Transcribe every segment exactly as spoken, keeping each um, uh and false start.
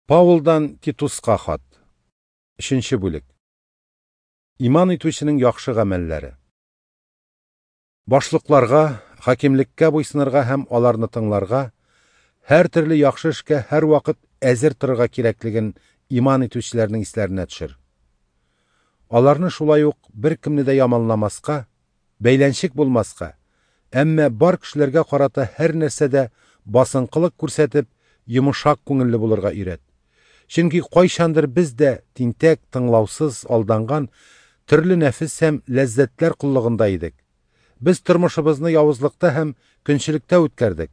Паулдан Титуска хат. Өченче бүлек. Иман итүченең яхшы гамәлләре. Башлыкларга, хакимлеккә буйсынырга һәм аларны тыңларга, һәр төрле яхшы эшкә һәрвакыт әзер торырга кирәклеген иман итүчеләрнең исләренә төшер. Аларны шулай ук беркемне дә яманламаска, бәйләнчек булмаска, әмма бар кешеләргә карата һәр нәрсәдә басынкылык күрсәтеп, йомшак күңелле булырга өйрәт. Чөнки кайчандыр без дә тинтәк, тыңлаусыз, алданган, төрле нәфес һәм ләззәтләр коллыгында идек. Без тормышыбызны явызлыкта һәм көнчелектә үткәрдек.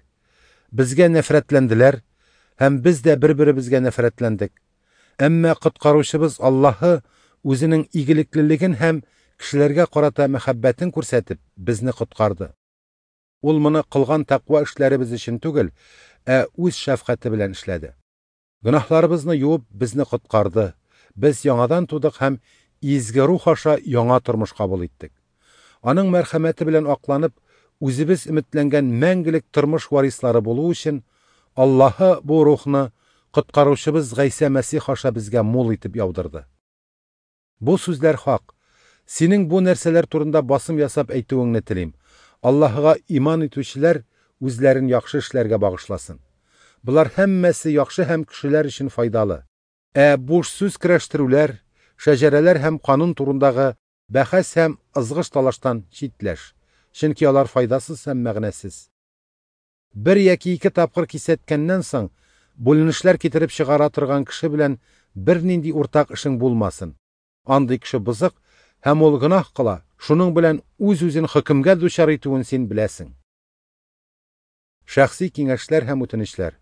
Безгә нәфрәтләнделәр һәм без дә бер-беребезгә нәфрәтләндек. Әмма коткаручыбыз Аллаһы үзенең игелеклелеген һәм кешеләргә карата мәхәббәтен күрсәтеп, безне коткарды. Ул моны кылган тәкъва эшләребез өчен түгел, ә үз шәфкате белән эшләде. Гөнаһларыбызны юып, безне коткарды. Без яңадан тудык һәм изге рух аша яңа тормыш кабул иттек. Аның мәрхәмәте белән акланып, үзебез өметләнгән мәңгелек тормыш варислары булу өчен Аллаһы бу рухны коткаручыбыз Гайсә Мәсих аша безгә мул итеп яудырды. Бу сүзләр хак. Синең бу нәрсәләр турында басым ясап әйтүеңне телим. Аллаһыга иман итүчеләр үзләрен яхшы эшләргә багышласын. Болар һәммәсе яхшы һәм кешеләр өчен файдалы. Ә буш сүз көрәштерүләр, шәҗәрәләр һәм канун турындагы бәхәс һәм ызгыш талаштан читләш, чөнки алар файдасыз һәм мәгънәсез. Бер яки ике тапкыр кисәткәннән соң, бүленешләр китереп чыгара торган кеше белән бернинди уртак эшең булмасын. Андый кеше бозык һәм ул гөнаһ кыла, шуның белән үз-үзен хөкемгә дучар итүен син беләсең. Шәхси киңәшләр һәм үтенечләр.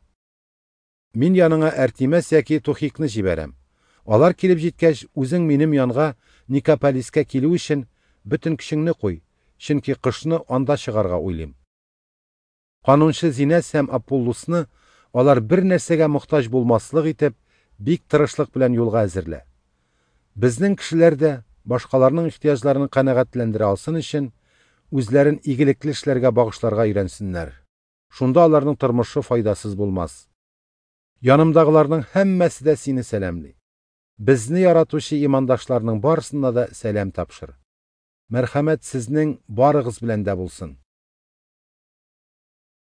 Мин яныңа Артемас яки Тухикны җибәрәм. Алар килеп җиткәч, үзең минем янга Никополискә килү өчен бөтен көчеңне куй, чөнки кышны анда чыгарга уйлыйм. Канунчы Зинәс һәм Аполлосны алар бер нәрсәгә мохтаҗ булмаслык итеп, бик тырышлык белән юлга әзерлә. Безнең кешеләр дә башкаларның ихтыяҗларын канәгатьләндерә алсын өчен үзләрен игелекле эшләргә багышларга өйрәнсеннәр. Шунда аларның тормышы файдасыз булмас. Янымдагыларның һәммәсе дә сине сәламли. Безне яратучы имандашларның барысына да сәлам тапшыр. Мәрхәмәт сезнең барыгыз белән дә булсын.